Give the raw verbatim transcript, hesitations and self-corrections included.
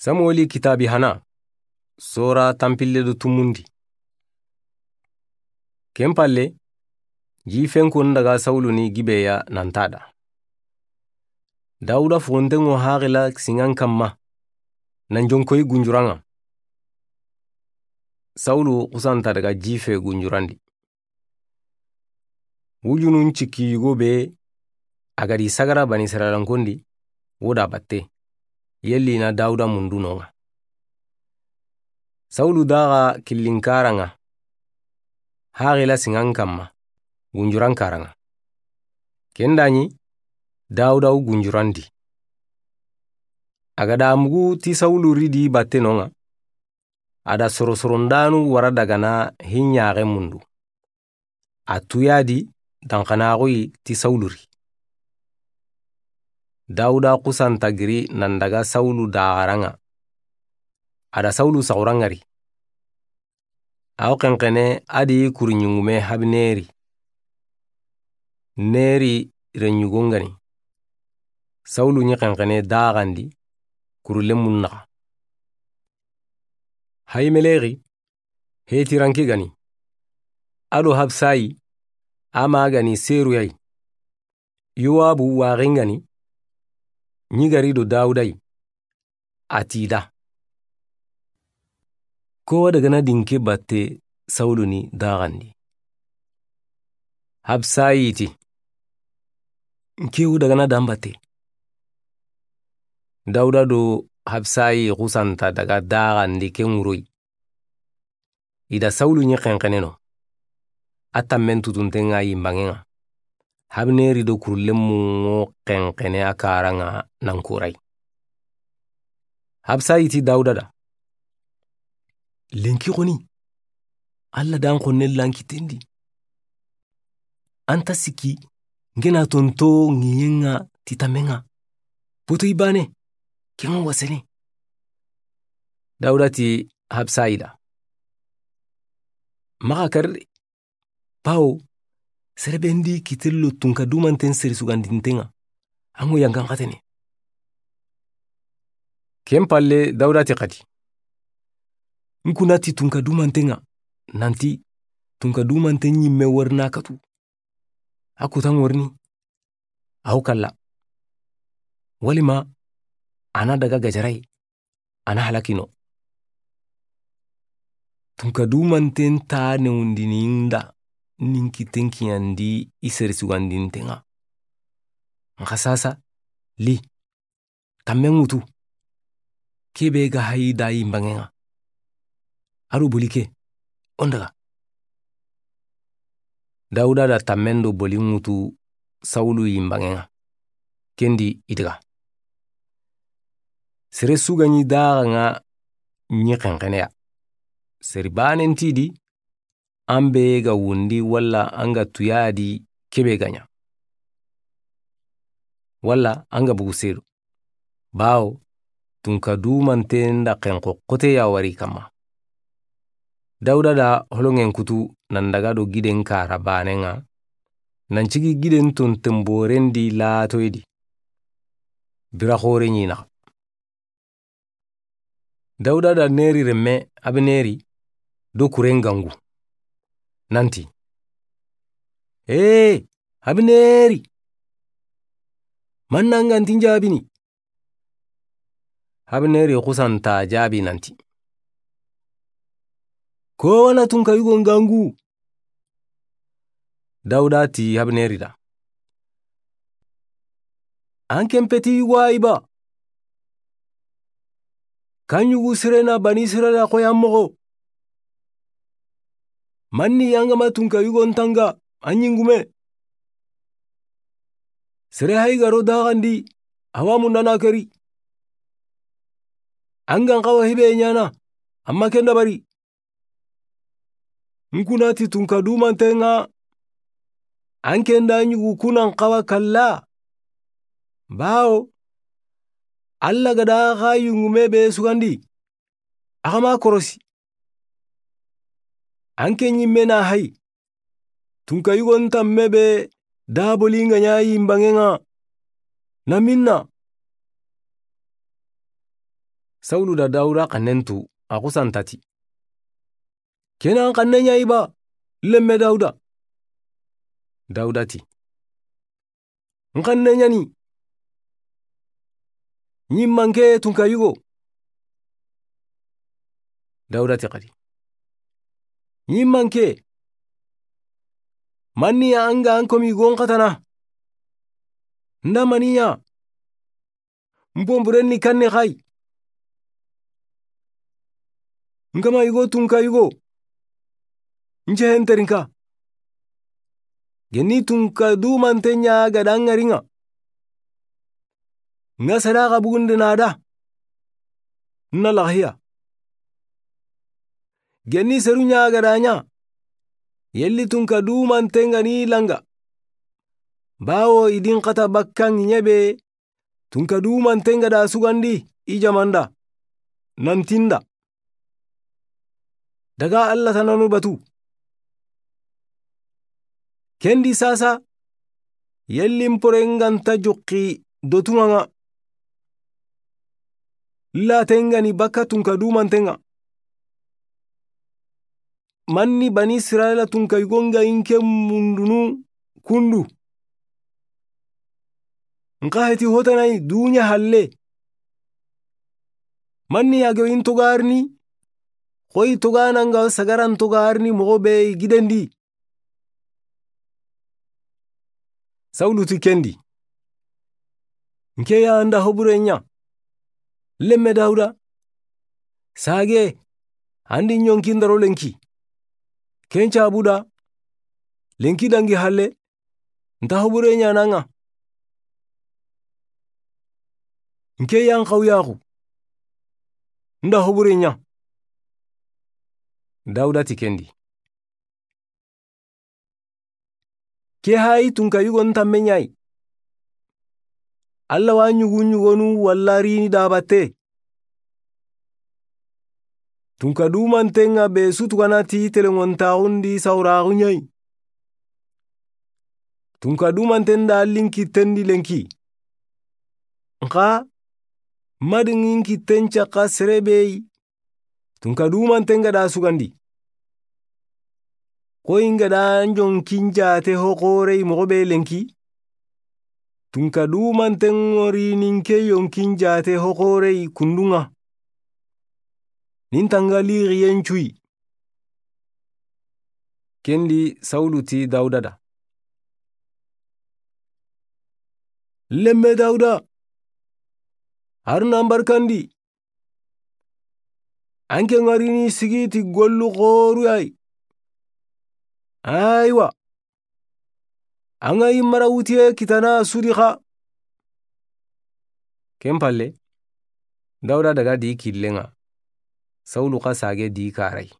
Samuweli kitaabi hana, sora tanpille do tumundi. Ken palle, ji fenkon daga Sawulu ni Gibeya nan ta da. Dawuda fogontenŋo haxila siŋan kanma, nan jonkoyi gunjuranŋa. Sawulu xusanta daga ji fe gunjurandi. Wujunun cikki yugo be a ga di sagara Banisirayila n kondi, wo da batte, yelli na Dawuda mundu noŋa. Sawulu daga killinkaraŋa, haxila siŋan kanma, gunjurankaranŋa. Ken da ɲi, Dawuda wu gunjurandi. A ga da mugu ti Sawulu ridi batte noŋa, a da sorosorondanu wara dagana hinɲaxe mundu. A tuyadi danxanaxuyi ti Sawulu ri. Dawuda xusanta giri nan daga Sawulu daxaraŋa. A da Sawulu saxuraŋari. Aw xenxene a di kuriɲungume Habineri. Neri reɲugongani. Sawulu ɲi xenxene daxandi kurulemun naxa. Hayimelexi, Hetiranke gani. A do Habsayi, a ma gani Seruyayi. Yowabu waxingani, ɲi gari do Dawudayi, a ti da. Kowa dagana dinke batte Sawulu ni daxandi. Habsayi ti, nkewu dagana dan batte. Dawuda do Habsayi xusanta daga daxandi ke ŋuroyi. I da Sawulu ɲi xenxene no. A tammen tutuntenŋa yinbanŋenŋa. Habineri do kurulemunŋo xenxene a karaŋa nan korayi. Habsayi ti Dawuda da, lenki xoni, Alla dan xonne lankitendi. An ta sikki, ngena tonto ŋiɲenŋa ti tammenŋa. Boto i bane, kenŋa wasene. Dawuda ti Habsayi da, maxa kari de. Bawo, sere be ndi kitello tunka dumanten seri sugandintenŋa, an ŋo yangan xatene. Ken palle Dawuda ti xadi, n kuna ti tunka dumantenŋa, nanti tunka dumanten ɲimme warina katu. A kutan warini, aw kalla. Walima, a na daga gajarayi, a na halakino. Tunka dumanten ta newundini nda, nin kitten kiyandi i seri sugandintenŋa. Nxa sasa, li, tammen ŋutu. Kebe ga hayi da yinbanŋenŋa. A do boli ke, o n daga. Dawuda da tammen do boli ŋutu Sawulu yinbanŋenŋa. Kendi i daga. Sere su ga ɲi daxaŋa ɲi xenxeneya. Seri banen ti di, an be ga wundi walla an ga tuyadi kebe ga ɲa. Walla an ga bugu sedo. Bawo, tunka dumanten da xenxo xote ya wari kanma. Dawuda da holoŋen kutu nan daga do giden kara banenŋa, nan cigi giden tonten borendi latoyedi. Bira xore ɲi naxa. Dawuda da Neri remme Abineri do kuren gangu. Nanti, ee, Abineri! Manna ngantin jabini. Abineri xusanta jabi nanti, ko wana tunka yugon gangu. Dawuda ti Abineri da, an ken peti yugo ayi ba? Kan yugu sirena Banisirayila xoyan moxo. Manni yangama tunka yugon tanga an ɲingume. Sere hayi garo daxandi, awa mundana keri. An gan xawa hibe ɲana, amma ken dabari. N kuna ti tunka dumantenŋa, an ken da ɲugu kunan xawa kalla. Bawo, Alla ga da xa yungume be sugandi, axa ma korosi. An ke ɲimme na hayi, tunka yugon tamme be daboli nga ɲa yinbanŋenŋa, na minna. Sawulu da Dawuda xannen tu, a xusa n ta ti: Ke na n xanne ɲa yi ba, lemme Dawuda? Dawuda ti: N xanne ɲa ni. Ɲi manke tunka yugo. Dawuda ti xadi: Ɲi manke, manni ya an ga an komi gon xatana? N da mani ɲa? N ponburen ni kanne xa yi. N kama yugo tunka yugo, n cehen terinka. Geni tunka dumanten ɲa ga da ŋari ŋa, n ga sadaxa bugundi na da, n na laxiya. Geni seru ɲa ga da ɲa, yelli tunka dumanten ga ni langa? Bawo i di n xata bakka ŋiɲe be, tunka dumanten ga da sugandi i jamanda, nan ti n da: Daga Alla tananu batu. Kendi sasa, yelli n pore n ga nta joxi dotuŋa ŋa, laten ga ni bakka tunka dumanten ŋa? Manni Bani Israyila tunka yugo n ga i n ke mundunu kundu, n xa heti hotanayi duɲa halle. Manni ya ga i n togarini, xoyi togana n ga sagaran togarini moxo be i gidendi. Sawulu ti kendi: N ke ya n da hobure ɲa, lemme Dawuda? Sage, an di ɲonki n daro lenki. Ken cabu da, lenki dangi halle, n ta hobure ɲa na ŋa. N ke ya n xawyaxu, n da hobure ɲa. Dawuda ti kendi: Ke hayi tunka yugo n tanme ɲa yi. Alla wa ɲugu ɲugonu walla rini da batte. Tunka dumanten ŋa be su tugana ti telenŋontaxun di sawuraxu ɲa yi. Tunka dumanten da linkitten di lenki. N xa ma di ŋin kitten caxa sere be yi, tunka dumanten ga da sugandi. Xoyi n ga da ɲonkin jate hoxorey moxo be lenki, tunka dumanten ŋori ni n ke yonkin jate hoxorey kundu ŋa. Ni n tanga lixiyen cuyi. Kendi Sawulu ti Dawuda da: Lemme Dawuda, Haruna n barkandi. An ke ŋarini sigi ti gollu xoru yayi. Aywa, an ga yi mara wutiye kitana sudi xa. Ken palle, Dawuda daga di killen ŋa, Sawulu xa sage di karay.